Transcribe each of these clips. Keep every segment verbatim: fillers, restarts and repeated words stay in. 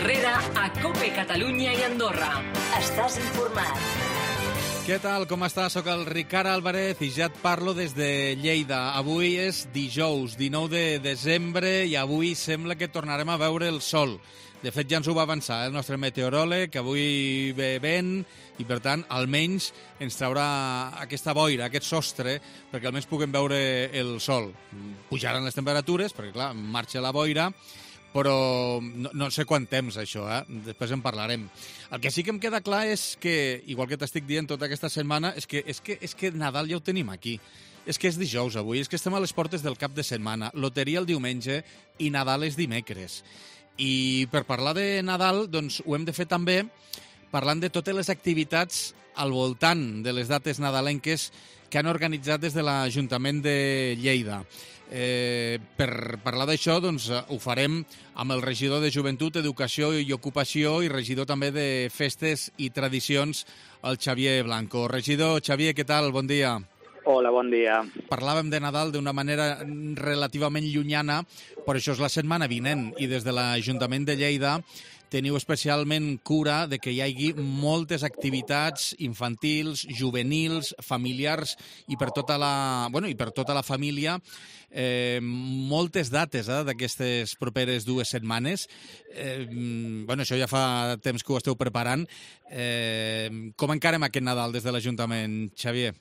Herrera a COPE Catalunya i Andorra. Estàs informat. Què tal, com estàs? Soc el Ricard Álvarez i ja et parlo des de Lleida. Avui és dijous, dinou de desembre, i avui sembla que tornarem a veure el sol. De fet, ja ens ho va avançar el nostre meteoròleg, que avui ve vent i, per tant, almenys ens traurà aquesta boira, aquest sostre, perquè almenys puguem veure el sol. Pujaran les temperatures, perquè, clar, marxa la boira, però no, no sé quant temps, això, eh? Després en parlarem. El que sí que em queda clar és que, igual que t'estic dient tota aquesta setmana, és que, és que, és que Nadal ja ho tenim aquí. És que és dijous avui, és que estem a les portes del cap de setmana, loteria el diumenge i Nadal és dimecres. I per parlar de Nadal, doncs ho hem de fer també parlant de totes les activitats al voltant de les dates nadalenques que han organitzat des de l'Ajuntament de Lleida. Eh, per parlar d'això, doncs, ho farem amb el regidor de Joventut, Educació i Ocupació i regidor també de Festes i Tradicions, el Xavier Blanco. Regidor, Xavier, què tal? Bon dia. Hola, bon dia. Parlàvem de Nadal d'una manera relativament llunyana, però això és la setmana vinent, i des de l'Ajuntament de Lleida teniu especialment cura de que hi hagi moltes activitats infantils, juvenils, familiars i per tota la, bueno, i per tota la família, eh, moltes dates eh, d'aquestes properes dues setmanes. Eh, bueno, això ja fa temps que ho esteu preparant. Eh, com encarem aquest Nadal des de l'Ajuntament, Xavier?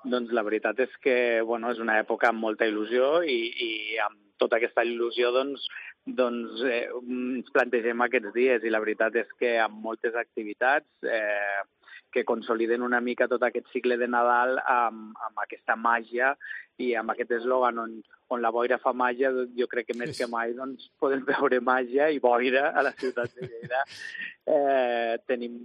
Doncs la veritat és que bueno, és una època amb molta il·lusió i, i amb tota aquesta il·lusió doncs, doncs eh, ens plantegem aquests dies i la veritat és que amb moltes activitats eh, que consoliden una mica tot aquest cicle de Nadal amb, amb aquesta màgia i amb aquest eslògan on, on la boira fa màgia, jo crec que més que mai doncs, podem veure màgia i boira a la ciutat de Lleida. Eh, tenim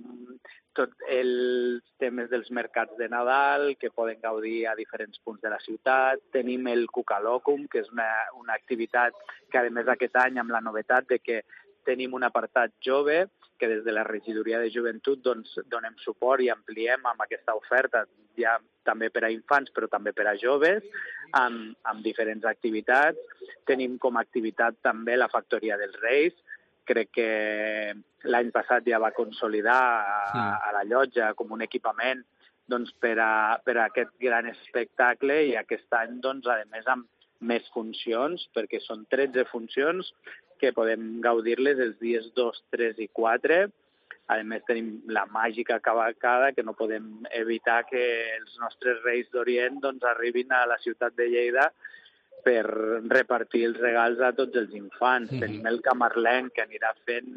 tots els temes dels mercats de Nadal que poden gaudir a diferents punts de la ciutat. Tenim el Cucalòcum, que és una, una activitat que, a més, aquest any amb la novetat de que tenim un apartat jove, que des de la regidoria de joventut doncs, donem suport i ampliem amb aquesta oferta, ja també per a infants però també per a joves, amb, amb diferents activitats. Tenim com a activitat també la Factoria dels Reis. Crec que l'any passat ja va consolidar a, a la llotja com un equipament doncs, per, a, per a aquest gran espectacle i aquest any, doncs, a més, amb més funcions, perquè són tretze funcions que podem gaudir-les els dies dos, tres i quatre. A més, tenim la màgica cavalcada, que no podem evitar que els nostres Reis d'Orient doncs, arribin a la ciutat de Lleida per repartir els regals a tots els infants. Mm-hmm. Tenim el Camarlenc, que anirà fent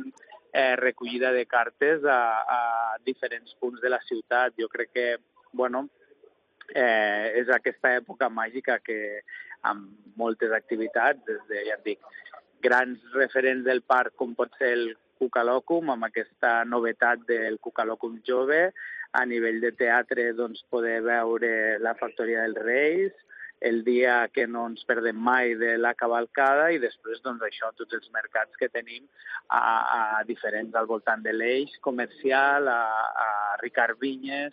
eh, recollida de cartes a, a diferents punts de la ciutat. Jo crec que, bueno, eh, és aquesta època màgica que amb moltes activitats, des de, ja et dic, grans referents del parc, com pot ser el Cucalòcum, amb aquesta novetat del Cucalòcum jove, a nivell de teatre, doncs, poder veure la Factoria dels Reis, el dia que no ens perdem mai de la cavalcada i després, doncs, això, tots els mercats que tenim a, a diferents al voltant de l'eix comercial, a, a Ricard Vinyes,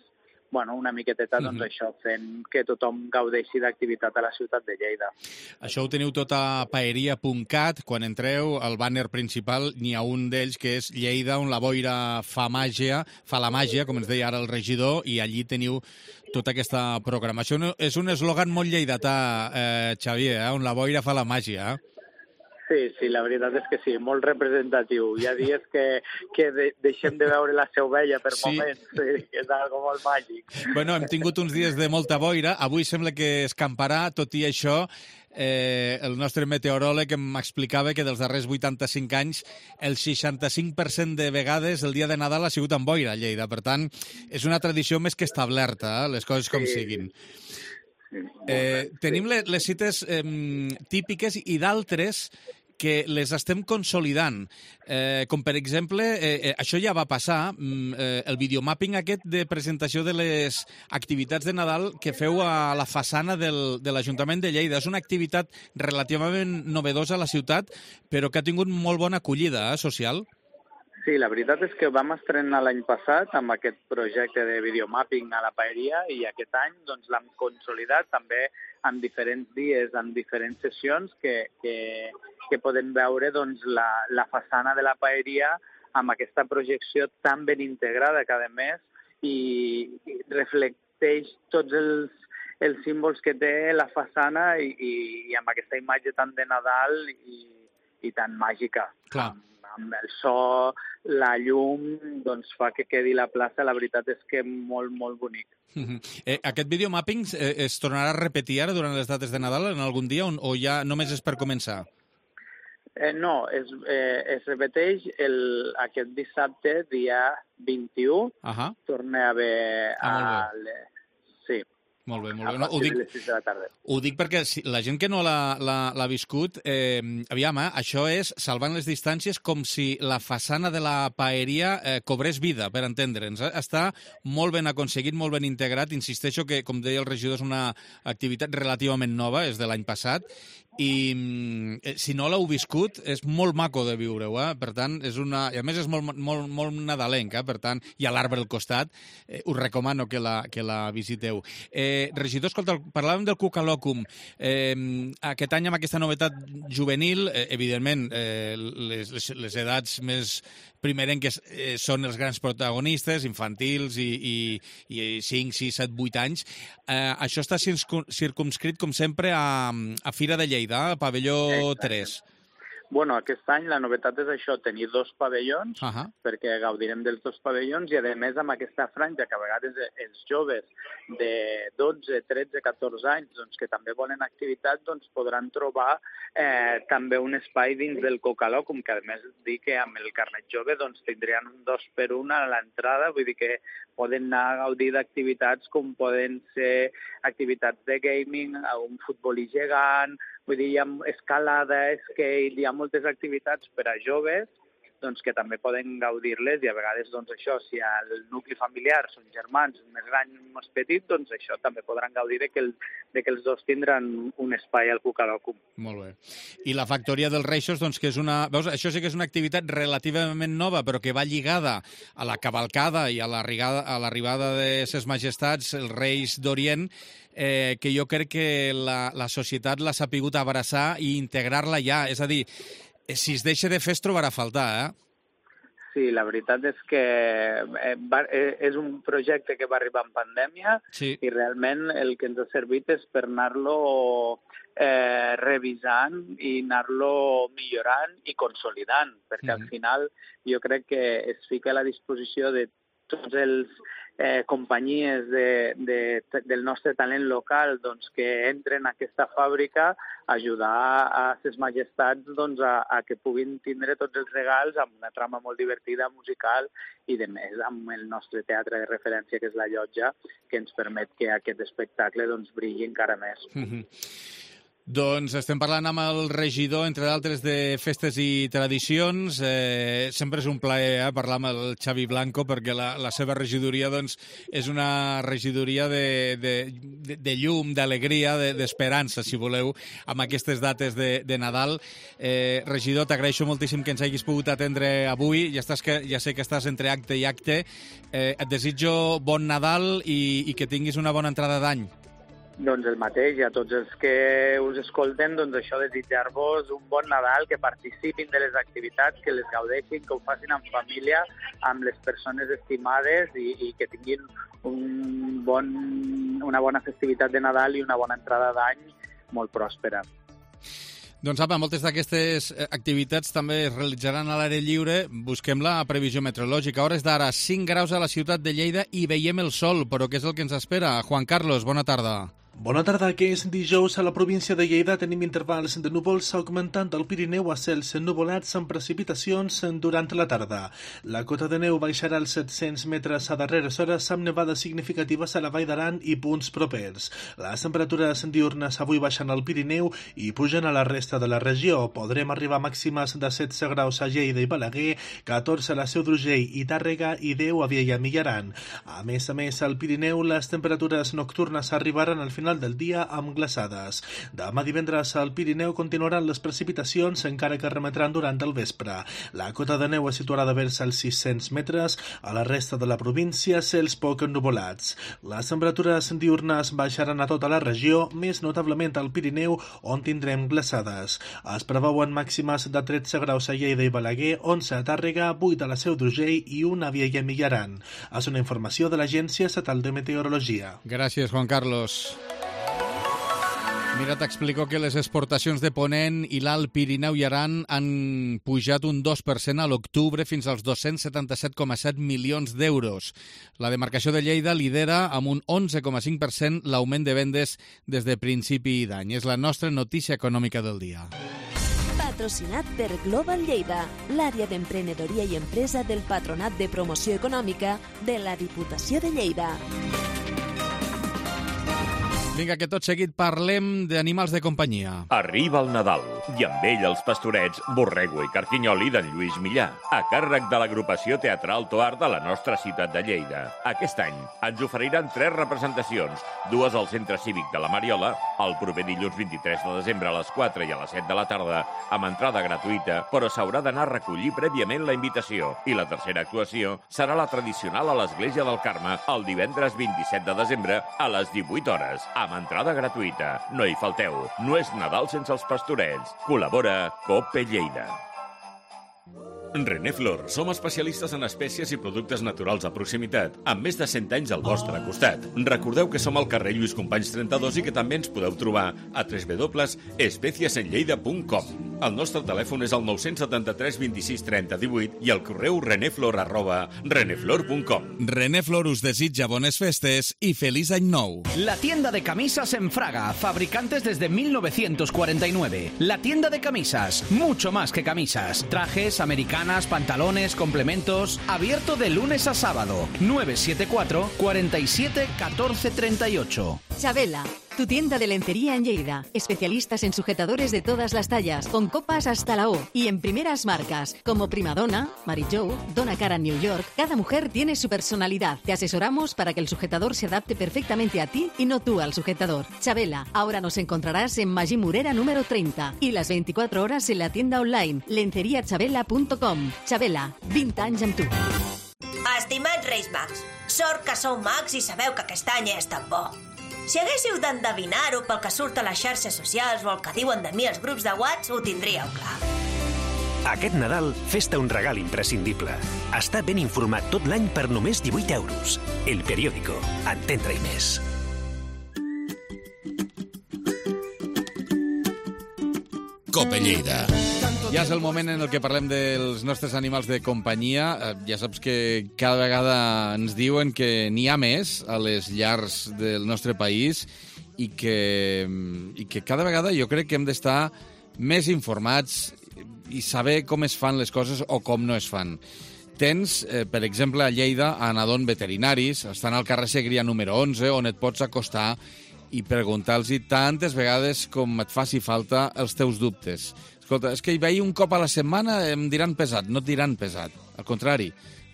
bueno, una miqueteta, doncs, mm-hmm. això, fent que tothom gaudeixi d'activitat a la ciutat de Lleida. Això ho teniu tot a paeria punt cat. Quan entreu, al bàner principal, n'hi ha un d'ells que és Lleida, on la boira fa màgia, fa la màgia, com ens deia ara el regidor, i allí teniu tota aquesta programació. És un eslògan molt lleidatà, eh, Xavier, eh? On la boira fa la màgia, eh? Sí, sí, la veritat és que sí, molt representatiu. Hi ha dies que, que de, deixem de veure la seu vella per sí. moments, sí, és algo molt màgic. Bueno, hem tingut uns dies de molta boira, avui sembla que escamparà, tot i això, eh, el nostre meteoròleg em explicava que dels darrers vuitanta-cinc anys el seixanta-cinc per cent de vegades el dia de Nadal ha sigut amb boira a Lleida, per tant, és una tradició més que establerta, eh, les coses com sí. siguin. Eh, tenim les, les cites eh, típiques i d'altres que les estem consolidant, eh, com per exemple, eh, eh, això ja va passar, eh, el videomapping aquest de presentació de les activitats de Nadal que feu a la façana del, de l'Ajuntament de Lleida. És una activitat relativament novedosa a la ciutat, però que ha tingut molt bona acollida eh, social. Sí, la veritat és que vam estrenar l'any passat amb aquest projecte de videomapping a la paeria i aquest any doncs, l'hem consolidat també en diferents dies, en diferents sessions que, que que podem veure doncs, la, la façana de la paeria amb aquesta projecció tan ben integrada que, a més, i, i reflecteix tots els, els símbols que té la façana i, i, i amb aquesta imatge tan de Nadal i, i tan màgica. Clar. Amb, amb el so, la llum, doncs fa que quedi la plaça, la veritat és que molt, molt bonic. Uh-huh. Eh, aquest videomapping eh, es tornarà a repetir ara durant les dates de Nadal en algun dia o, o ja només és per començar? Eh, no, es, eh, es repeteix el, aquest dissabte, dia vint-i-u, uh-huh. torna a haver... Ah, a le... Sí. Molt bé, molt bé. A No, ho, dic, de les sis de la tarda. ho dic perquè si, la gent que no l'ha viscut, eh, aviam, eh, això és, salvant les distàncies, com si la façana de la paeria eh, cobrés vida, per entendre'ns. Eh? Està molt ben aconseguit, molt ben integrat. Insisteixo que, com deia el regidor, és una activitat relativament nova, és de l'any passat, i eh, si no l'heu viscut, és molt maco de viure-ho, eh? Per tant, és una... I a més és molt, molt, molt nadalenc, eh? Per tant, hi ha l'arbre al costat, eh, us recomano que la, que la visiteu. Eh, regidor, escolta, parlàvem del Cucalòcum. Eh, aquest any, amb aquesta novetat juvenil, eh, evidentment, eh, les, les, les edats més primerenques eh, són els grans protagonistes, infantils i, i, i cinc, sis, set, vuit anys. Eh, això està circumscrit, com sempre, a, a Fira de Lleida, a pavelló tres. Bueno, aquest any la novetat és això, tenir dos pavellons, uh-huh. perquè gaudirem dels dos pavellons i, a més, amb aquesta franja que a vegades els joves de dotze, tretze, catorze anys doncs, que també volen activitat doncs, podran trobar eh, també un espai dins del Cucalòcum, que a més dic que amb el carnet jove doncs, tindrien un dos per un a l'entrada, vull dir que poden anar a gaudir d'activitats com poden ser activitats de gaming, un futbolí gegant, vull dir, hi ha escalada, skate, hi ha moltes activitats per a joves doncs, que també poden gaudir-les i a vegades doncs, això, si el nucli familiar són germans més grans i més petits, doncs això també podran gaudir de que, el, de que els dos tindran un espai al Cucalòcum. Molt bé. I la Factoria dels Reixos, doncs, que és una... Veus, això sí que és una activitat relativament nova, però que va lligada a la cavalcada i a l'arribada de ses majestats, els Reis d'Orient, eh, que jo crec que la, la societat l'ha sapigut abraçar i integrar-la ja. És a dir, si es deixa de fer es trobarà a faltar, eh? Sí, la veritat és que és un projecte que va arribar en pandèmia sí. i realment el que ens ha servit és per anar-lo eh, revisant i anar-lo millorant i consolidant, perquè mm-hmm. al final jo crec que es fica a la disposició de tots els eh, companyies de, de, del nostre talent local doncs, que entren a aquesta fàbrica a ajudar a ses majestats doncs, a, a que puguin tindre tots els regals amb una trama molt divertida, musical i de més amb el nostre teatre de referència que és la Llotja, que ens permet que aquest espectacle doncs, brilli encara més. Mm-hmm. Doncs estem parlant amb el regidor, entre d'altres, de festes i tradicions. Eh, sempre és un plaer eh, parlar amb el Xavi Blanco, perquè la, la seva regidoria doncs, és una regidoria de, de, de, de llum, d'alegria, de, d'esperança, si voleu, amb aquestes dates de, de Nadal. Eh, regidor, t'agraeixo moltíssim que ens hagis pogut atendre avui. Ja, estàs que, ja sé que estàs entre acte i acte. Eh, et desitjo bon Nadal i, i que tinguis una bona entrada d'any. Doncs el mateix, i a tots els que us escolten, doncs això, desitjar-vos un bon Nadal, que participin de les activitats, que les gaudeixin, que ho facin en família, amb les persones estimades i, i que tinguin un bon, una bona festivitat de Nadal i una bona entrada d'any molt pròspera. Doncs apa, moltes d'aquestes activitats també es realitzaran a l'aire lliure. Busquem la previsió meteorològica. A hores d'ara, cinc graus a la ciutat de Lleida i veiem el sol, però què és el que ens espera? Juan Carlos, bona tarda. Bona tarda, que és dijous a la província de Lleida. Tenim intervals de núvols augmentant al Pirineu a cels ennuvolats amb precipitacions durant la tarda. La cota de neu baixarà als set-cents metres a darreres hores amb nevades significatives a la Vall d'Aran i punts propers. Les temperatures diurnes avui baixen al Pirineu i pugen a la resta de la regió. Podrem arribar a màximes de setze graus a Lleida i Balaguer, catorze a la Seu d'Urgell i Tàrrega i deu a Viella i Millaran. A més a més, al Pirineu les temperatures nocturnes arribaran al final final del dia amb glaçades. Demà divendres al Pirineu continuaran les precipitacions, encara que remetran durant el vespre. La cota de neu es situarà de vers als sis-cents metres, a la resta de la província cels poc ennuvolats. Les temperatures diurnes baixaran a tota la regió, més notablement al Pirineu, on tindrem glaçades. Es preveuen màximes de tretze graus a Lleida i Balaguer, onze a Tàrrega, vuit a la Seu d'Urgell i una a Viella i Millaran. És una informació de l'Agència Estatal de Meteorologia. Gràcies, Juan Carlos. Mira, t'explico que les exportacions de Ponent i l'Alt Pirineu i Aran han pujat un dos per cent a l'octubre fins als dos-cents setanta-set coma set milions d'euros. La demarcació de Lleida lidera amb un onze coma cinc per cent l'augment de vendes des de principi d'any. És la nostra notícia econòmica del dia. Patrocinat per Global Lleida, l'àrea d'emprenedoria i empresa del Patronat de Promoció Econòmica de la Diputació de Lleida. Vinga, que tot seguit parlem d'animals de companyia. Arriba el Nadal i amb ell els pastorets Borrego i Carquinyoli d'en Lluís Millà, a càrrec de l'agrupació teatral Toar de la nostra ciutat de Lleida. Aquest any ens oferiran tres representacions, dues al Centre Cívic de la Mariola, el proper dilluns vint-i-tres de desembre a les quatre i a les set de la tarda, amb entrada gratuïta, però s'haurà d'anar a recollir prèviament la invitació. I la tercera actuació serà la tradicional a l'Església del Carme el divendres vint-i-set de desembre a les divuit hores, amb entrada gratuïta. No hi falteu. No és Nadal sense els pastorets. Col·labora Cope Lleida. René Flor, som especialistes en espècies i productes naturals a proximitat, amb més de cent anys al vostre costat. Recordeu que som al carrer Lluís Companys trenta-dos i que també ens podeu trobar a w w w punt espècies en lleida punt com. El nostre telèfon és el nou setanta-tres vint-i-sis trenta divuit i el correu reneflor arroba reneflor punt com. René Flor us desitja bones festes i feliç any nou. La tienda de camisas en Fraga, fabricantes desde mil novecientos cuarenta y nueve. La tienda de camisas, mucho más que camisas. Trajes, americanos, pantalones, complementos, abierto de lunes a sábado, nueve siete cuatro, cuatro siete, uno cuatro tres ocho. Chabela, tu tienda de lencería en Lleida. Especialistas en sujetadores de todas las tallas, con copas hasta la O y en primeras marcas, como Primadonna, Mary Jo, Donna Karan New York. Cada mujer tiene su personalidad. Te asesoramos para que el sujetador se adapte perfectamente a ti y no tú al sujetador. Chabela, ahora nos encontrarás en Magí Morera número treinta y las veinticuatro horas en la tienda online lencería chabela punto com. Chabela, vint anys amb tu. Estimats Reis Mags, sort que sou mags i sabeu que aquest any és tan bo. Si haguéssiu d'endevinar-ho pel que surt a les xarxes socials o el que diuen de mi als grups de WhatsApp, ho tindríeu clar. Aquest Nadal, fes-te un regal imprescindible. Està ben informat tot l'any per només divuit euros. El Periódico. Entendre-hi més. Cope Lleida. Ja és el moment en el que parlem dels nostres animals de companyia. Ja saps que cada vegada ens diuen que n'hi ha més a les llars del nostre país i que, i que cada vegada jo crec que hem d'estar més informats i saber com es fan les coses o com no es fan. Tens, eh, per exemple, a Lleida, a Anadon Veterinaris, estan al carrer Segrià número onze, on et pots acostar i preguntar-los tantes vegades com et faci falta els teus dubtes. Escolta, és que hi veia un cop a la setmana, em diran pesat. No et diran pesat. Al contrari,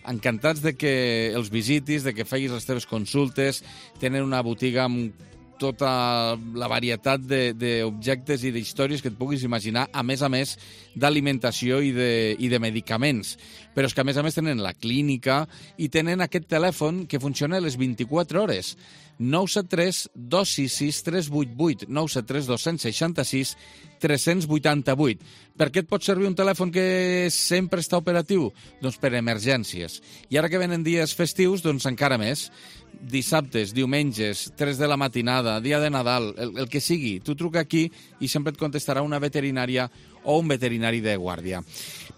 encantats de que els visitis, de que feguis les teves consultes. Tenen una botiga amb tota la varietat d'objectes i d'històries que et puguis imaginar, a més a més d'alimentació i, de, i de medicaments. Però és que a més a més tenen la clínica i tenen aquest telèfon que funciona a les vint-i-quatre hores. nou set tres, dos sis sis, tres vuit vuit, nou set tres, dos sis sis, tres vuit vuit. Per què et pot servir un telèfon que sempre està operatiu? Doncs per emergències. I ara que venen dies festius, doncs encara més. Dissabtes, diumenges, tres de la matinada, dia de Nadal, el, el que sigui. Tu truca aquí i sempre et contestarà una veterinària o un veterinari de guàrdia.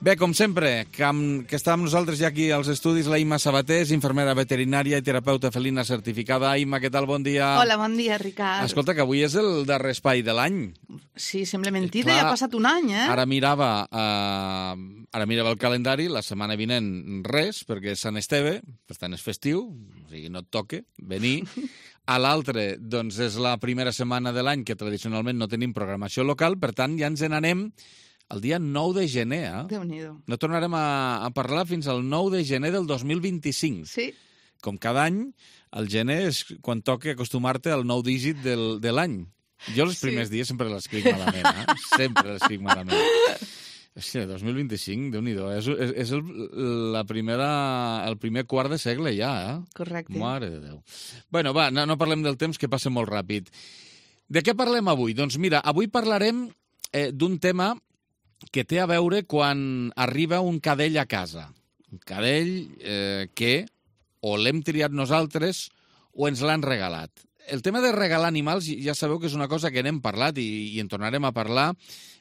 Bé, com sempre, que, amb, que està amb nosaltres ja aquí als estudis la Imma Sabatés, infermera veterinària i terapeuta felina certificada. Imma, què tal? Bon dia. Hola, bon dia, Ricard. Escolta, que avui és el darrer espai de l'any. Sí, sembla mentida, Clar, ja ha passat un any, eh? Ara mirava, uh, ara mirava el calendari, la setmana vinent res, perquè és Sant Esteve, per tant és festiu, o sigui, no et toque venir. A l'altre, doncs, és la primera setmana de l'any que tradicionalment no tenim programació local, per tant, ja ens n'anem el dia nou de gener. Eh? Déu-n'hi-do. No tornarem a, a parlar fins al nou de gener del dos mil vint-i-cinc. Sí. com cada any, el gener és quan toca acostumar-te al nou dígit del, de l'any. Jo els primers sí. dies sempre l'escric malament, eh? Sempre l'escric malament. Hòstia, dos mil vint-i-cinc, Déu-n'hi-do, és, és, és el, la primera, el primer quart de segle ja, eh? Correcte. Mare de Déu. Bueno, va, no, no parlem del temps, que passa molt ràpid. De què parlem avui? Doncs mira, avui parlarem eh, d'un tema que té a veure quan arriba un cadell a casa. Un cadell eh, que o l'hem triat nosaltres o ens l'han regalat. El tema de regalar animals, ja sabeu que és una cosa que n'hem parlat i, i en tornarem a parlar.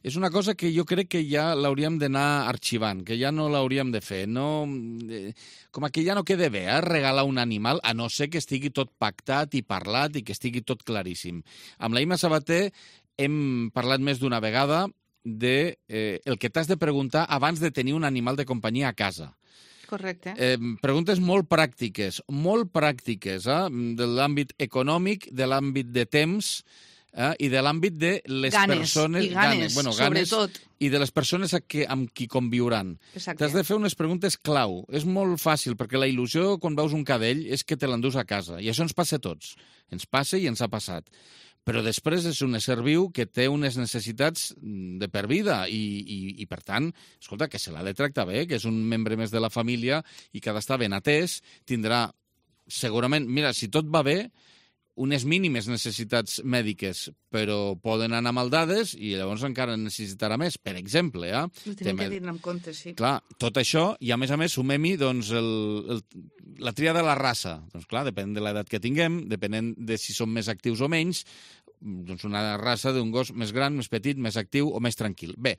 És una cosa que jo crec que ja l'hauríem d'anar arxivant, que ja no l'hauríem de fer. No, eh, com que ja no queda bé, eh, regalar un animal, a no ser que estigui tot pactat i parlat i que estigui tot claríssim. Amb la Imma Sabater hem parlat més d'una vegada de eh, el que t'has de preguntar abans de tenir un animal de companyia a casa. Correcte. Eh, preguntes molt pràctiques, molt pràctiques, eh? De l'àmbit econòmic, de l'àmbit de temps eh? i de l'àmbit de les ganes, persones... I ganes, ganes bueno, ganes, sobretot. I de les persones que, amb qui conviuran. T'has de fer unes preguntes clau. És molt fàcil, perquè la il·lusió quan veus un cadell és que te l'endús a casa. I això ens passa a tots. Ens passa i ens ha passat. Però després és un ésser viu que té unes necessitats de per vida i, i, i per tant, escolta, que se l'ha de tractar bé, que és un membre més de la família i que ha d'estar ben atès, tindrà segurament, mira, si tot va bé, unes mínimes necessitats mèdiques, però poden anar maldades i llavors encara necessitarà més. Per exemple, eh? Ho tenim que dir-ne en compte, sí. Clar, tot això, i a més a més sumem-hi doncs, el, el, la tria de la raça. Doncs clar, depèn de l'edat que tinguem, depenent de si som més actius o menys, doncs una raça d'un gos més gran, més petit, més actiu o més tranquil. Bé,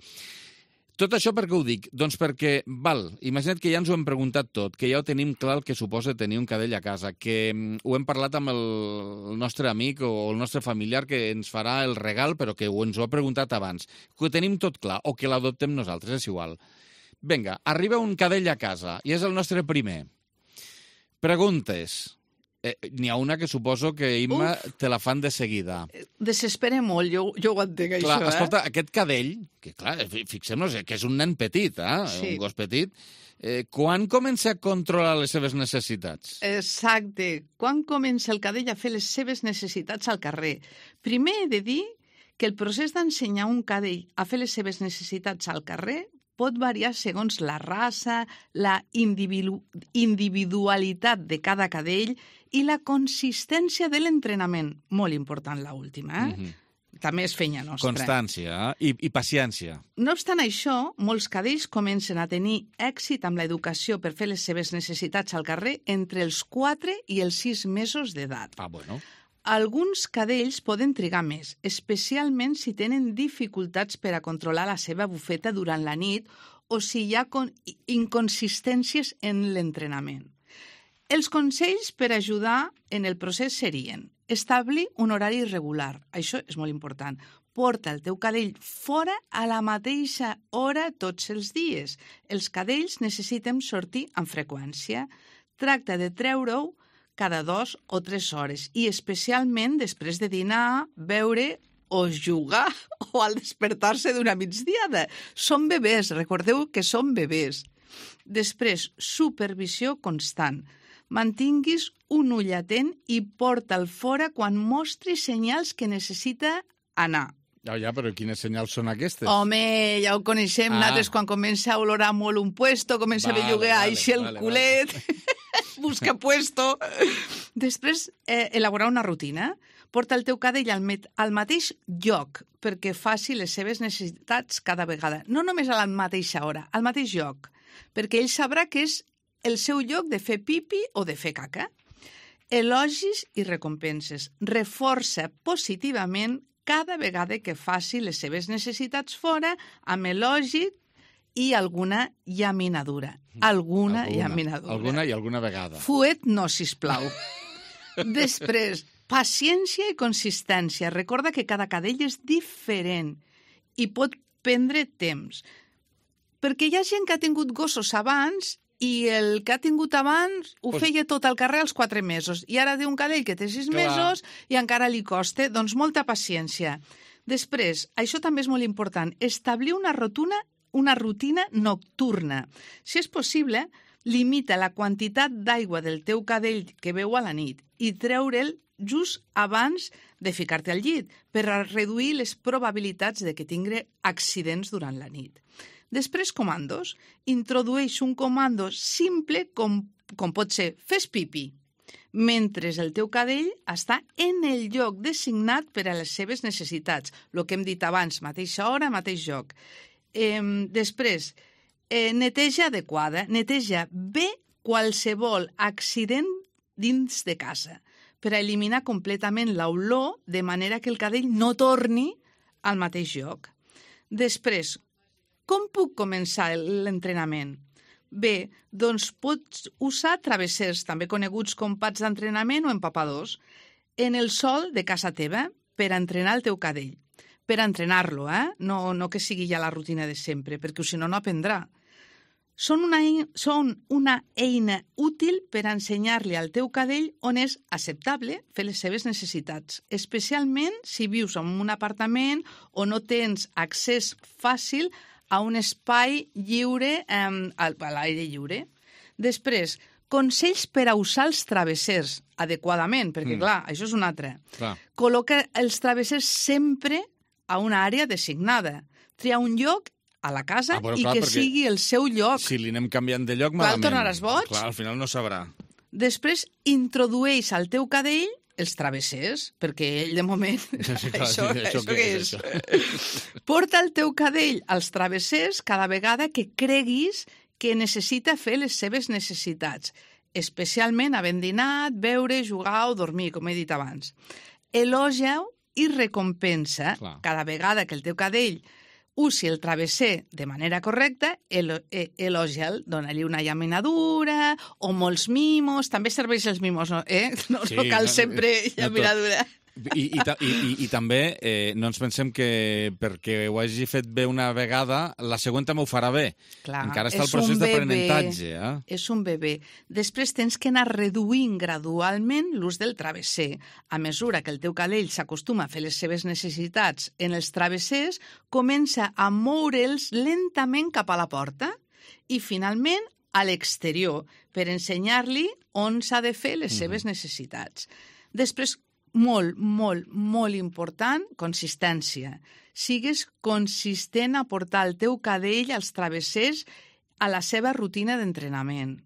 tot això per què ho dic? Doncs perquè, val, imagina't que ja ens ho hem preguntat tot, que ja ho tenim clar el que suposa tenir un cadell a casa, que ho hem parlat amb el, el nostre amic o el nostre familiar que ens farà el regal, però que ens ho ha preguntat abans, que ho tenim tot clar, o que l'adoptem nosaltres, és igual. Vinga, arriba un cadell a casa, i és el nostre primer. Preguntes. Eh, N'hi ha una que suposo que, Imma, Uf. te la fan de seguida. Desespera molt, jo, jo ho entenc, clar, això, eh? Escolta, aquest cadell, que clar, fixem-nos que és un nen petit, eh? Sí. Un gos petit, eh, quan comença a controlar les seves necessitats? Exacte. Quan comença el cadell a fer les seves necessitats al carrer? Primer he de dir que el procés d'ensenyar un cadell a fer les seves necessitats al carrer pot variar segons la raça, la individu individualitat de cada cadell i la consistència de l'entrenament. Molt important, l'última, eh? Mm-hmm. També és feina nostra. Constància eh? I, i paciència. No obstant això, molts cadells comencen a tenir èxit amb l'educació per fer les seves necessitats al carrer entre els quatre i els sis mesos d'edat. Ah, bueno. Alguns cadells poden trigar més, especialment si tenen dificultats per a controlar la seva bufeta durant la nit o si hi ha inconsistències en l'entrenament. Els consells per ajudar en el procés serien establir un horari regular. Això és molt important. Porta el teu cadell fora a la mateixa hora tots els dies. Els cadells necessiten sortir amb freqüència. Tracta de treure-ho cada dos o tres hores i especialment després de dinar, beure o jugar o al despertar-se d'una migdiada. Són bebès, recordeu que són bebès. Després, supervisió constant. Mantinguis un ull atent i porta'l fora quan mostri senyals que necessita anar. Ja, ja, però quines senyals són aquestes? Home, ja ho coneixem, ah. nosaltres quan comença a olorar molt un puesto, comença vale, a belluguear vale, així el vale, culet, vale. Busca puesto. Després, eh, elaborar una rutina. Porta el teu cadell al, al mateix lloc perquè faci les seves necessitats cada vegada. No només a la mateixa hora, al mateix lloc, perquè ell sabrà que és el seu lloc de fer pipi o de fer caca. Elogis i recompenses. Reforça positivament cada vegada que faci les seves necessitats fora amb elogi i alguna llaminadura. Alguna, alguna llaminadura. Alguna i alguna vegada. Fuet no, sisplau. Després, paciència i consistència. Recorda que cada cadell és diferent i pot prendre temps. Perquè hi ha gent que ha tingut gossos abans i el que ha tingut abans ho pues... feia tot al carrer als quatre mesos. I ara té un cadell que té sis Clar. mesos i encara li costa. Doncs molta paciència. Després, això també és molt important, establir una rutina, una rutina nocturna. Si és possible, limita la quantitat d'aigua del teu cadell que beu a la nit i treure'l just abans de ficar-te al llit per a reduir les probabilitats de que tingui accidents durant la nit. Després, comandos. Introdueix un comando simple com, com pot ser fes pipi, mentre el teu cadell està en el lloc designat per a les seves necessitats. El que hem dit abans, mateixa hora, mateix lloc. Eh, després, eh, neteja adequada. Neteja bé qualsevol accident dins de casa per a eliminar completament l'olor de manera que el cadell no torni al mateix lloc. Després, com puc començar l'entrenament? Bé, doncs pots usar travessers, també coneguts com pads d'entrenament o empapadors, en el sòl de casa teva per a entrenar el teu cadell. Per a entrenar-lo, eh? No, no que sigui ja la rutina de sempre, perquè si no, no aprendrà. Són una, són una eina útil per a ensenyar-li al teu cadell on és acceptable fer les seves necessitats, especialment si vius en un apartament o no tens accés fàcil a un espai lliure, eh, a l'aire lliure. Després, consells per a usar els travessers adequadament, perquè, mm. clar, això és un altre. Clar. Col·loca els travessers sempre a una àrea designada. Tria un lloc a la casa ah, però, i clar, que sigui el seu lloc. Si li anem canviant de lloc, malament. Clar, tornaràs boig. Clar, al final no sabrà. Després, introdueix al teu cadell els travessers, perquè ell, de moment, sí, clar, això, sí, això, això què és? Això? Porta el teu cadell als travessers cada vegada que creguis que necessita fer les seves necessitats, especialment havent dinat, beure, jugar o dormir, com he dit abans. Elogia-ho i recompensa clar. Cada vegada que el teu cadell usi el travesser de manera correcta, elo, eh, elogia'l, dona-li una llaminadura o molts mimos. També serveix els mimos, no, eh? no, sí, no cal sempre no, llaminadura. No I, i, i, i, I també eh, no ens pensem que perquè ho hagi fet bé una vegada, la següent també ho farà bé. Clar, encara està el procés d'aprenentatge. Eh? És un bebè. Després tens que anar reduint gradualment l'ús del travesser. A mesura que el teu cadell s'acostuma a fer les seves necessitats en els travessers, comença a moure'ls lentament cap a la porta i, finalment, a l'exterior, per ensenyar-li on s'ha de fer les seves necessitats. Després, molt, molt, molt important, consistència. Sigues consistent a portar el teu cadell als travessers a la seva rutina d'entrenament.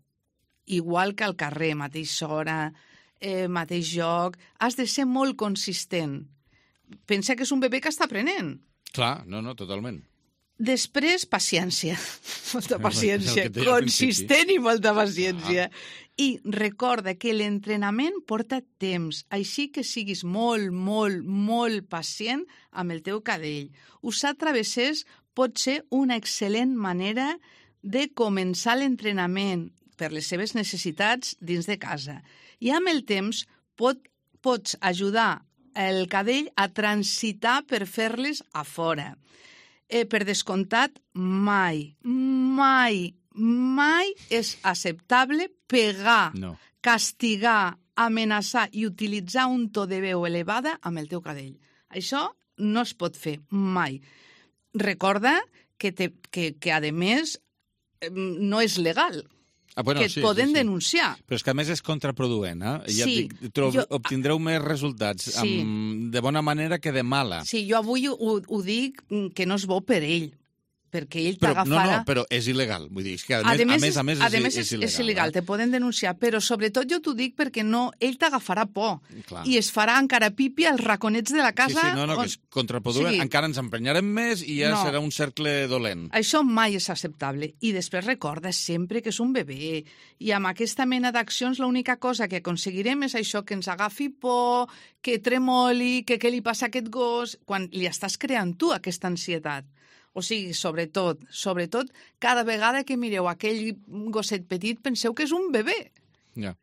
Igual que al carrer, mateixa hora, eh, mateix lloc. Has de ser molt consistent. Pensa que és un bebè que està aprenent. Clar, no, no, totalment. Després, paciència. Molta paciència. Consistent i molta paciència. Ah. I recorda que l'entrenament porta temps, així que siguis molt, molt, molt pacient amb el teu cadell. Usar travessers pot ser una excel·lent manera de començar l'entrenament per les seves necessitats dins de casa. I amb el temps pot, pots ajudar el cadell a transitar per fer-les a fora. Eh, per descomptat, mai, mai, mai és acceptable pegar, no. castigar, amenaçar i utilitzar un to de veu elevada amb el teu cadell. Això no es pot fer mai. Recorda que, te, que, que a més, no és legal. Ah, bueno, que et sí, poden sí, sí. denunciar. Però és que a més és contraproduent, eh? Ja sí, dic, trob, jo... obtindreu més resultats sí. amb, de bona manera que de mala. Sí, jo avui ho, ho dic que no és bo per ell, perquè ell t'agafarà... No, no, però és il·legal. Vull dir, és que a, a, més, a més, a més, a és, més és, és il·legal. És il·legal, eh? Te poden denunciar, però sobretot jo t'ho dic perquè no, ell t'agafarà por. Clar. I es farà encara pipi als raconets de la casa... Sí, sí, no, no, on... que és contraproduent. Sí. Encara ens emprenyarem més i ja no. serà un cercle dolent. Això mai és acceptable. I després recorda sempre que és un bebè. I amb aquesta mena d'accions l'única cosa que aconseguirem és això, que ens agafi por, que tremoli, que què li passa a aquest gos, quan li estàs creant tu aquesta ansietat. O sigui, sobretot, sobretot, cada vegada que mireu aquell gosset petit, penseu que és un bebè. Ja.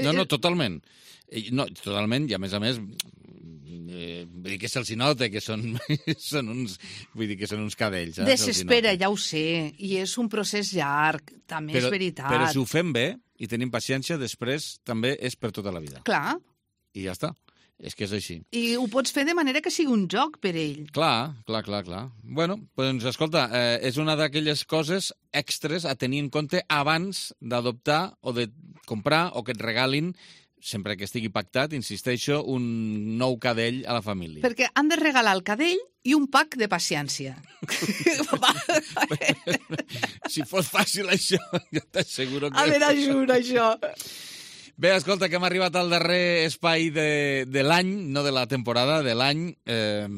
No, no, totalment. No, totalment, i a més a més, eh, vull dir que se'ls nota que són, són uns, vull dir que són uns cadells. Eh? Desespera, ja ho sé, i és un procés llarg, també però, és veritat. Però si ho fem bé i tenim paciència, després també és per tota la vida. Clar. I ja està. És que és així. I ho pots fer de manera que sigui un joc per ell. Clar, clar, clar, clar. Bueno, doncs escolta, eh, és una d'aquelles coses extres a tenir en compte abans d'adoptar o de comprar o que et regalin, sempre que estigui pactat, insisteixo, un nou cadell a la família. Perquè han de regalar el cadell i un pack de paciència. Si fos fàcil això, jo t'asseguro que... A veure, jura, això. Bé, escolta, que hem arribat al darrer espai de, de l'any, no de la temporada, de l'any. Eh,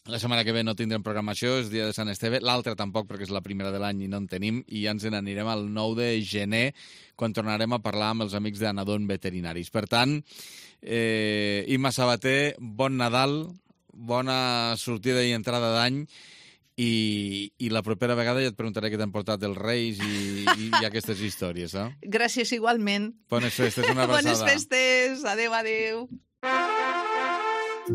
la setmana que ve no tindrem programació, és dia de Sant Esteve. L'altra tampoc, perquè és la primera de l'any i no en tenim. I ja ens n'anirem al nou de gener, quan tornarem a parlar amb els amics d'Anadon Veterinaris. Per tant, eh, Imma Sabater, bon Nadal, bona sortida i entrada d'any. I, i la propera vegada ja et preguntaré què t'han portat els Reis i, i, i aquestes històries, eh? Gràcies igualment. Bones festes, una abraçada. Bones festes, adeu, adeu.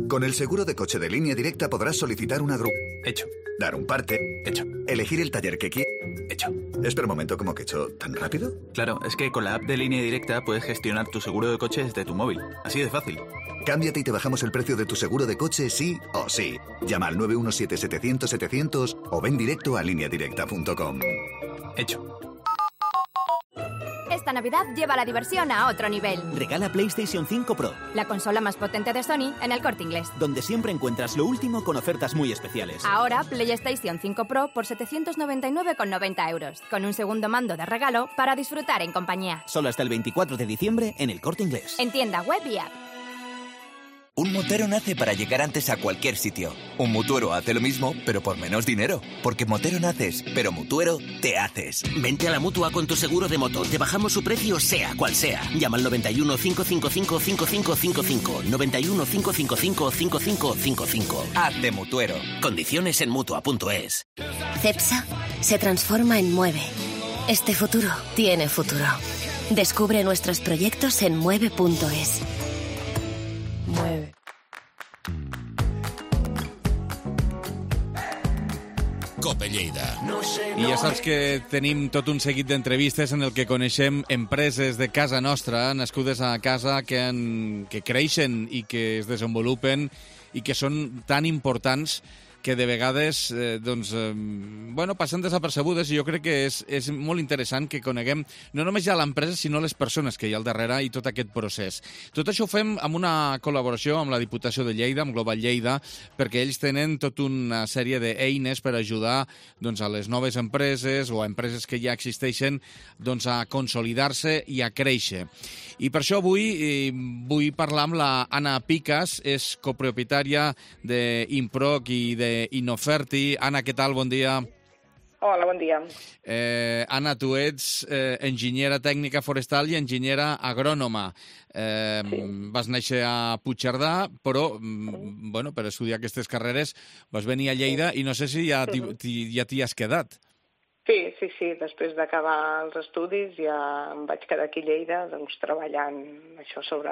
Con el seguro de coche de Línea Directa podrás solicitar una grúa. Hecho. Dar un parte. Hecho. Elegir el taller que quieras. Hecho. Espera un momento, ¿cómo que hecho? ¿Tan rápido? Claro, es que con la app de Línea Directa puedes gestionar tu seguro de coche desde tu móvil. Así de fácil. Cámbiate y te bajamos el precio de tu seguro de coche sí o sí. Llama al nueve uno siete setecientos setecientos o ven directo a línea directa punto com. Hecho. Esta Navidad lleva la diversión a otro nivel. Regala PlayStation cinco Pro, la consola más potente de Sony en El Corte Inglés, donde siempre encuentras lo último con ofertas muy especiales. Ahora PlayStation cinco Pro por setecientos noventa y nueve con noventa euros, con un segundo mando de regalo para disfrutar en compañía. Solo hasta el veinticuatro de diciembre en El Corte Inglés. En tienda web y app. Un motero nace para llegar antes a cualquier sitio. Un mutuero hace lo mismo, pero por menos dinero. Porque motero naces, pero mutuero te haces. Vente a la Mutua con tu seguro de moto. Te bajamos su precio sea cual sea. Llama al noventa y uno, cinco cinco cinco, cinco cinco cinco cinco. noventa y uno, cinco cinco cinco, cinco cinco cinco cinco. Hazte mutuero. Condiciones en Mutua punto es. Cepsa se transforma en Mueve. Este futuro tiene futuro. Descubre nuestros proyectos en mueve punto es. Mueve. Cope Lleida. I ja saps que tenim tot un seguit d'entrevistes en el que coneixem empreses de casa nostra, nascudes a casa, que, han, que creixen i que es desenvolupen i que són tan importants que de vegades eh, doncs, eh, bueno, passen desapercebudes, i jo crec que és, és molt interessant que coneguem no només ja l'empresa, sinó les persones que hi ha al darrere i tot aquest procés. Tot això ho fem amb una col·laboració amb la Diputació de Lleida, amb Global Lleida, perquè ells tenen tota una sèrie d'eines per ajudar doncs, a les noves empreses o a empreses que ja existeixen doncs, a consolidar-se i a créixer. I per això avui eh, vull parlar amb la Anna Picas, és copropietària d'Improc i de Inoferti. Anna, què tal? Bon dia. Hola, bon dia. Eh, Anna, tu ets eh, enginyera tècnica forestal i enginyera agrònoma. Eh, sí. Vas néixer a Puigcerdà, però mm, bueno, per estudiar aquestes carreres vas venir a Lleida i no sé si ja t'hi, ja t'hi has quedat. Sí, sí, sí. Després d'acabar els estudis ja em vaig quedar aquí a Lleida doncs, treballant això sobre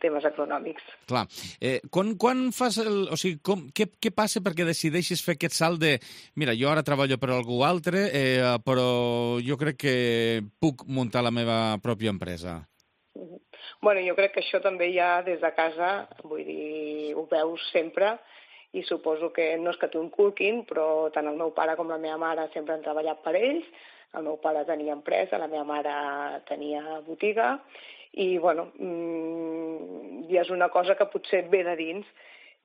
temes econòmics. Clar. Eh, quan, quan fas el... O sigui, com, què, què passa perquè decideixis fer aquest salt de mira, jo ara treballo per algú altre, eh, però jo crec que puc muntar la meva pròpia empresa? Bueno, jo crec que això també ja des de casa, vull dir, ho veus sempre, i suposo que no és que t'ho inculquin, però tant el meu pare com la meva mare sempre han treballat per ells. El meu pare tenia empresa, la meva mare tenia botiga, i bueno, mmm, ja és una cosa que potser et ve de dins,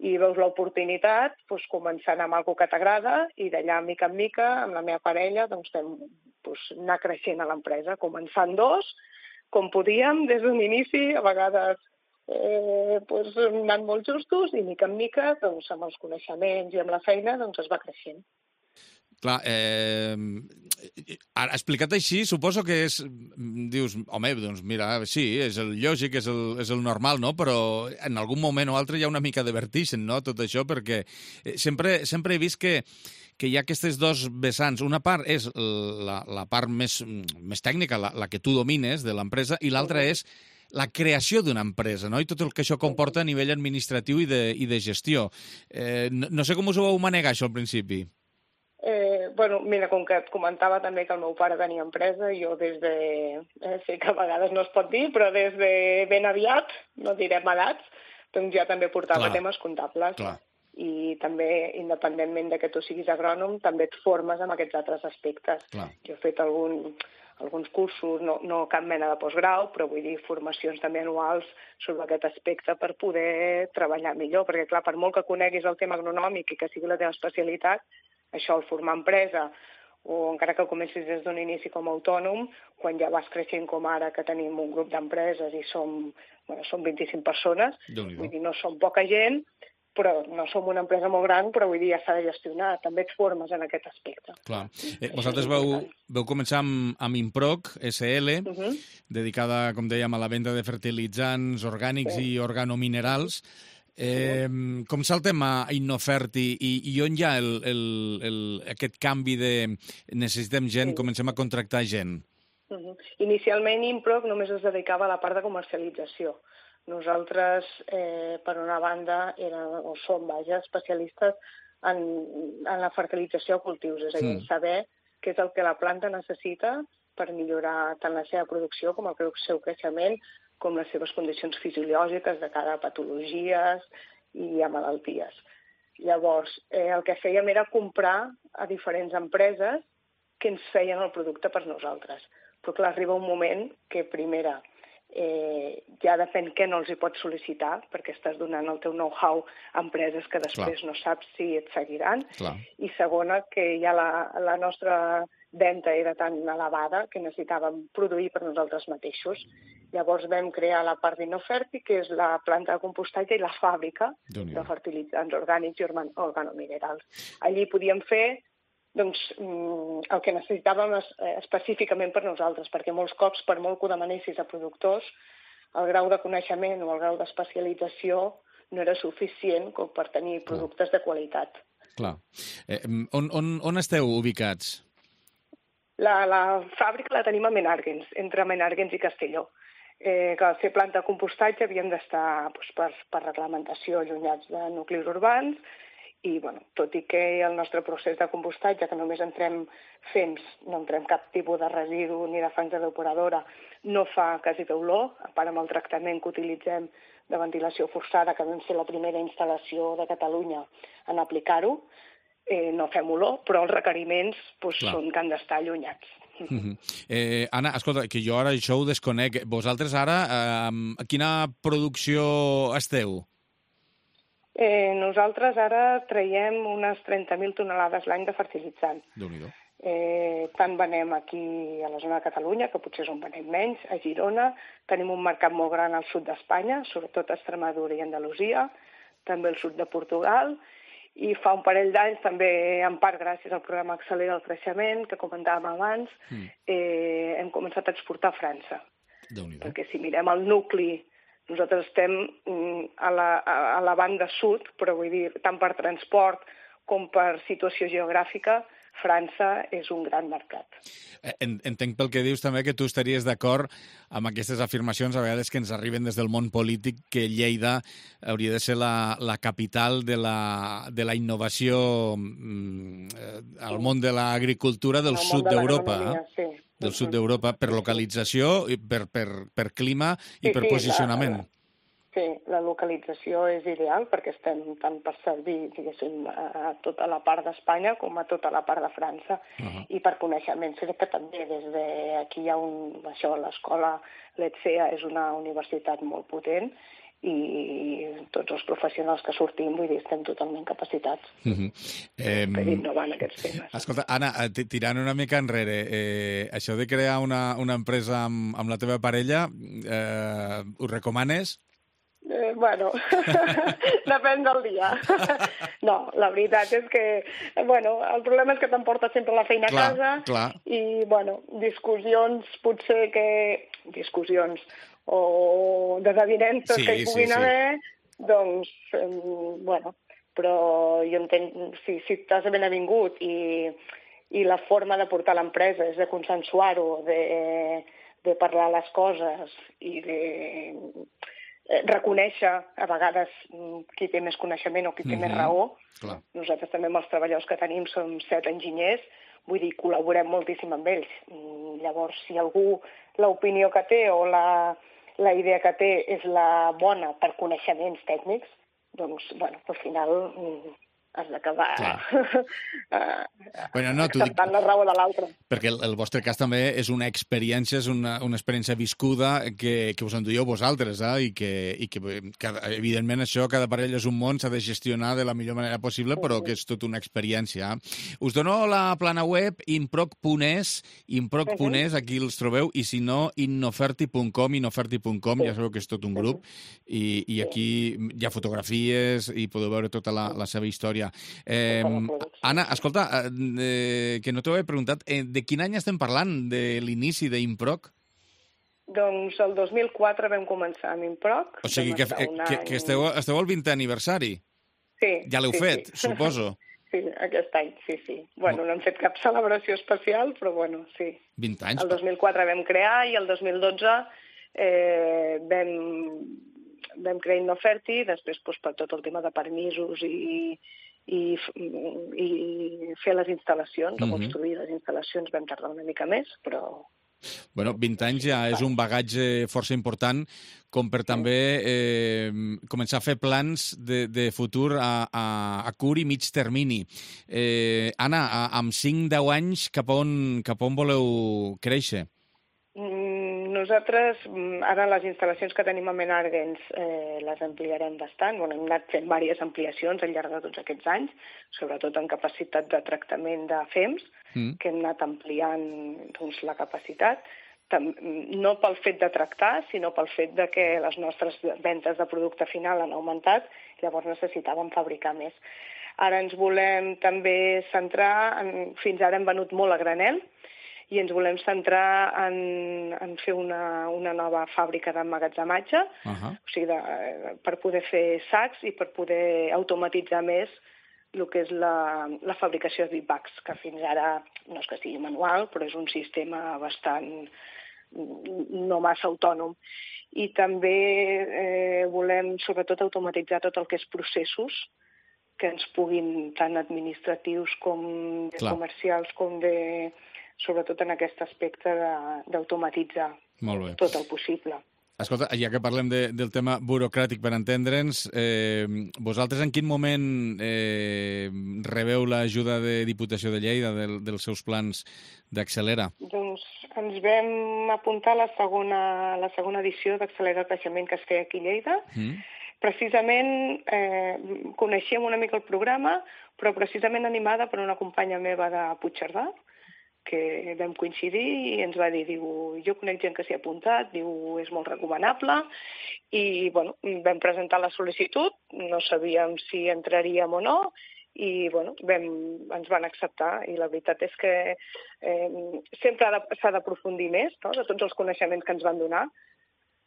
i veus l'oportunitat, doncs, començant amb alguna que t'agrada, i d'allà, mica en mica, amb la meva parella, doncs, vam doncs, anar creixent a l'empresa, començant dos, com podíem, des d'un inici, a vegades Eh, doncs, anant molt justos i mica en mica doncs, amb els coneixements i amb la feina doncs, es va creixent. Clar, eh, explicat així, suposo que és... Dius, home, doncs mira, sí, és el lògic, és el, és el normal, no? Però en algun moment o altre hi ha una mica de vertigen, no?, tot això, perquè sempre, sempre he vist que que hi ha aquestes dos vessants. Una part és la, la part més, més tècnica, la, la que tu domines de l'empresa, i l'altra és la creació d'una empresa, no? I tot el que això comporta a nivell administratiu i de, i de gestió. Eh, no, no sé com us ho vau manegar, això, al principi. Eh, bueno, mira, com que et comentava també que el meu pare tenia empresa, jo des de... Eh, sé que a vegades no es pot dir, però des de ben aviat, no direm edats, doncs ja també portava Clar. temes comptables. Clar. I també, independentment de que tu siguis agrònom, també et formes en aquests altres aspectes. Clar. Jo he fet algun, alguns cursos, no, no cap mena de postgrau, però vull dir formacions també anuals sobre aquest aspecte per poder treballar millor, perquè clar, per molt que coneguis el tema agronòmic i que sigui la teva especialitat, això, el formar empresa, o encara que comencis des d'un inici com a autònom, quan ja vas creixent com ara, que tenim un grup d'empreses i som, bueno, som vint-i-cinc persones, vull dir, no som poca gent, però no som una empresa molt gran, però vull dir, ja s'ha de gestionar. També et formes en aquest aspecte. Clar. Eh, vosaltres veu, veu començar amb, amb Improc, S L, uh -huh. dedicada, com dèiem, a la venda de fertilitzants orgànics sí. i organominerals. Eh, sí. Com saltem a Innoferti i, i on hi ha el, el, el, aquest canvi de necessitem gent, sí. comencem a contractar gent? Uh -huh. Inicialment Improc només es dedicava a la part de comercialització. Nosaltres, eh, per una banda, érem, o som, vaja, especialistes en, en la fertilització de cultius, és a dir, mm. saber què és el que la planta necessita per millorar tant la seva producció com el seu creixement, com les seves condicions fisiològiques de cara a patologies i a malalties. Llavors, eh, el que fèiem era comprar a diferents empreses que ens feien el producte per nosaltres. Però clar, arriba un moment que, primera, Eh, ja depèn què no els hi pots sol·licitar, perquè estàs donant el teu know-how a empreses que després Clar. no saps si et seguiran. Clar. I segona, que ja la, la nostra venda era tan elevada que necessitàvem produir per nosaltres mateixos. Llavors vam crear la part d'Innoferti, que és la planta de compostatge i la fàbrica de fertilitzants orgànics i organominerals. Allí podíem fer doncs, el que necessitàvem específicament per nosaltres, perquè molts cops, per molt que ho demanessis a productors, el grau de coneixement o el grau d'especialització no era suficient com per tenir productes de qualitat. Clar. Eh, on, on, on esteu ubicats? La, la fàbrica la tenim a Menàrguens, entre Menàrguens i Castelló. Eh, que al ser planta de compostatge havíem d'estar doncs, per, per reglamentació allunyats de nuclis urbans, i, bueno, tot i que el nostre procés de compostatge, que només entrem fems, no entrem cap tipus de residu ni de fangs de depuradora, no fa quasi d'olor, a part amb el tractament que utilitzem de ventilació forçada, que vam ser la primera instal·lació de Catalunya en aplicar-ho, eh, no fem olor, però els requeriments doncs, són que han d'estar allunyats. Uh-huh. eh, Anna, escolta, que jo ara això ho desconec. Vosaltres ara, eh, a quina producció esteu? Eh, nosaltres ara traiem unes trenta mil tonelades l'any de fertilitzant. Déu-n'hi-do. Eh, tant venem aquí a la zona de Catalunya, que potser és on venem menys, a Girona. Tenim un mercat molt gran al sud d'Espanya, sobretot a Extremadura i Andalusia, també al sud de Portugal, i fa un parell d'anys, també en part gràcies al programa Accelera el Creixement, que comentàvem abans, mm. eh, hem començat a exportar a França. Déu-n'hi-do. Perquè si mirem el nucli, nosaltres estem a la, a la banda sud, però vull dir, tant per transport com per situació geogràfica, França és un gran mercat. Entenc pel que dius també que tu estaries d'acord amb aquestes afirmacions a vegades que ens arriben des del món polític, que Lleida hauria de ser la, la capital de la, de la innovació mm, al món de l'agricultura del sud d'Europa. Eh? Sí. Del sud d'Europa, per localització, per, per, per clima i sí, per sí, posicionament. La, sí, la localització és ideal perquè estem tant per servir, diguéssim, a tota la part d'Espanya com a tota la part de França. Uh-huh. I per coneixement, crec que també des d'aquí hi ha un... Això, l'escola l'ETSEA és una universitat molt potent i tots els professionals que sortim, vull dir, estem totalment capacitats uh-huh. eh, per innovar en aquests temes. Escolta, Anna, tirant una mica enrere, eh, això de crear una, una empresa amb, amb la teva parella, eh, ho recomanes? Eh, bueno, depèn del dia. No, la veritat és que, bueno, el problema és que t'emportes sempre la feina clar, a casa clar. I, bueno, discussions potser que... Discussions o desavinences sí, que hi puguin sí, sí. haver, doncs, eh, bueno, però jo entenc, si, si t'has ben avingut i, i la forma de portar l'empresa és de consensuar-ho, de, de parlar les coses i de reconèixer a vegades qui té més coneixement o qui té mm-hmm. més raó. Clar. Nosaltres també amb els treballadors que tenim som set enginyers, vull dir, col·laborem moltíssim amb ells. Llavors, si algú l'opinió que té o la, la idea que té és la bona per coneixements tècnics, doncs, bueno, al final has d'acabar bueno, no, acceptant la raó de l'altre. Perquè el, el vostre cas també és una experiència, és una, una experiència viscuda que, que us enduieu vosaltres, eh? I, que, i que, cada, evidentment, això, cada parella és un món, s'ha de gestionar de la millor manera possible, però que és tota una experiència. Us dono la plana web improc punt es, improc punt es, aquí els trobeu, i si no, innoferti punt com, innoferti punt com, ja sabeu que és tot un grup, i, i aquí hi ha fotografies i podeu veure tota la, la seva història. Eh, Anna, escolta, eh, que no t'ho he preguntat, eh, de quin any estem parlant, de l'inici d'Improc? Doncs el dos mil quatre vam començar amb Improc. O sigui que, que, que esteu, esteu al vintè aniversari. Sí. Ja l'heu sí, fet, sí. Suposo. Sí, aquest any, sí, sí. Bueno, no hem fet cap celebració especial, però bueno, sí. vint anys. El dos mil quatre vam crear i el dos mil dotze eh, vam... vam crear Innoferti, després doncs, per tot el tema de permisos i, i, i fer les instal·lacions, mm-hmm. o construir les instal·lacions vam tardar una mica més, però... Bueno, vint anys ja és un bagatge força important com per també eh, començar a fer plans de, de futur a, a, a curt i mig termini. Eh, Anna, a, amb cinc a deu anys cap on, cap on voleu créixer? Nosaltres, ara les instal·lacions que tenim a Menardens eh, les ampliarem bastant. Bueno, hem anat fent diverses ampliacions al llarg de tots aquests anys, sobretot en capacitat de tractament de fems, mm. que hem anat ampliant doncs, la capacitat, Tam no pel fet de tractar, sinó pel fet de que les nostres ventes de producte final han augmentat, llavors necessitàvem fabricar més. Ara ens volem també centrar, en, fins ara hem venut molt a granel, i ens volem centrar en, en fer una, una nova fàbrica d'emmagatzematge, uh-huh. o sigui, de, per poder fer sacs i per poder automatitzar més el que és la, la fabricació de big-bags, que fins ara no és que sigui manual, però és un sistema bastant no massa autònom. I també eh, volem, sobretot, automatitzar tot el que és processos que ens puguin, tant administratius com de Clar. comercials, com de... sobretot en aquest aspecte d'automatitzar tot el possible. Escolta, ja que parlem de, del tema burocràtic per entendre'ns, eh, vosaltres en quin moment eh, rebeu l'ajuda de Diputació de Lleida del, dels seus plans d'Accelera? Doncs ens vam apuntar a la segona, la segona edició d'Accelera el Creixement que es feia aquí a Lleida. Mm. Precisament eh, coneixíem una mica el programa, però precisament animada per una companya meva de Puigcerdà, que vam coincidir i ens va dir, diu, jo conec gent que s'hi ha apuntat, diu, és molt recomanable, i bueno, vam presentar la sol·licitud, no sabíem si entraríem o no, i bueno, vam, ens van acceptar, i la veritat és que eh, sempre s'ha d'aprofundir més, no?, de tots els coneixements que ens van donar,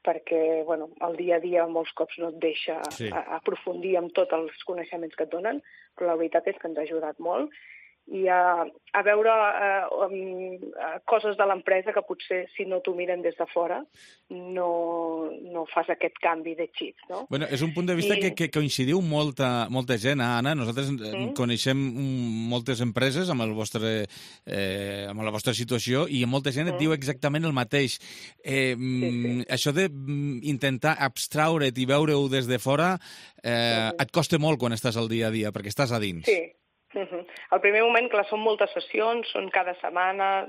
perquè bueno, el dia a dia molts cops no et deixa sí. aprofundir en tots els coneixements que et donen, però la veritat és que ens ha ajudat molt, i a, a veure uh, um, coses de l'empresa que potser si no t'ho miren des de fora no, no fas aquest canvi de xip, no? Bueno, és un punt de vista I... que, que coincidiu molta, molta gent, eh, Anna? Nosaltres mm. coneixem moltes empreses amb, el vostre, eh, amb la vostra situació i molta gent mm. et diu exactament el mateix. Eh, sí, sí. Això d'intentar abstraure't i veure-ho des de fora eh, mm. et costa molt quan estàs al dia a dia, perquè estàs a dins. Sí. Uh-huh. Al primer moment, clar, són moltes sessions, són cada setmana,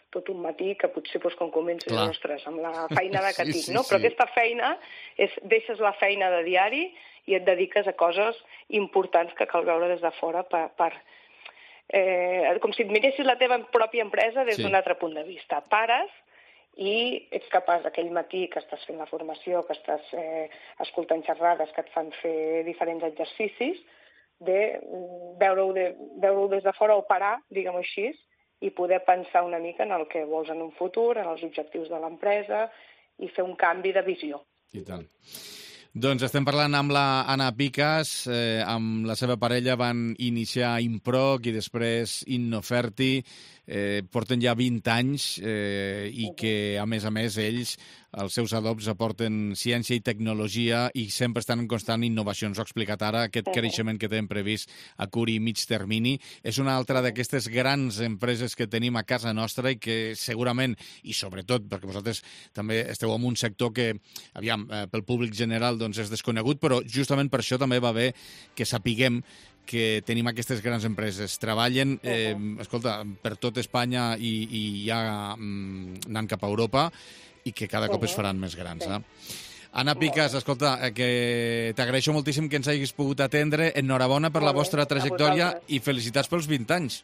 tot un matí, que potser doncs, quan comences, ostres, amb la feina de que sí, tinc, no? Sí, Però sí. aquesta feina, és, deixes la feina de diari i et dediques a coses importants que cal veure des de fora per... per eh, com si et miressis la teva pròpia empresa des sí. d'un altre punt de vista. Pares i ets capaç aquell matí que estàs fent la formació, que estàs eh, escoltant xerrades que et fan fer diferents exercicis, de veure-ho de, veure des de fora o parar, diguem-ho així, i poder pensar una mica en el que vols en un futur, en els objectius de l'empresa i fer un canvi de visió. I tant. Doncs estem parlant amb la Anna Picas, eh, amb la seva parella van iniciar Improc i després Innoferti, eh, porten ja vint anys eh, i que, a més a més, ells, els seus adobs, aporten ciència i tecnologia i sempre estan en constant innovació. Ens ho ha explicat ara, aquest creixement que tenen previst a curt i mig termini. És una altra d'aquestes grans empreses que tenim a casa nostra i que segurament, i sobretot, perquè vosaltres també esteu en un sector que, aviam, eh, pel públic general doncs és desconegut, però justament per això també va bé que sapiguem que tenim aquestes grans empreses. Treballen, eh, escolta, per tot Espanya i, i ja mm, anant cap a Europa i que cada cop es faran més grans. Eh? Anna Picas, escolta, eh, que t'agraeixo moltíssim que ens hagis pogut atendre. Enhorabona per la vostra trajectòria i felicitats pels vint anys.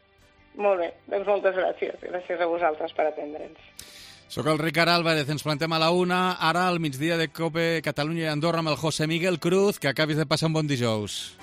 Molt bé, doncs moltes gràcies. Gràcies a vosaltres per atendre'ns. Soc el Ricard Álvarez, ens plantem a la una, ara al migdia de COPE Catalunya i Andorra amb el José Miguel Cruz, que acabis de passar un bon dijous.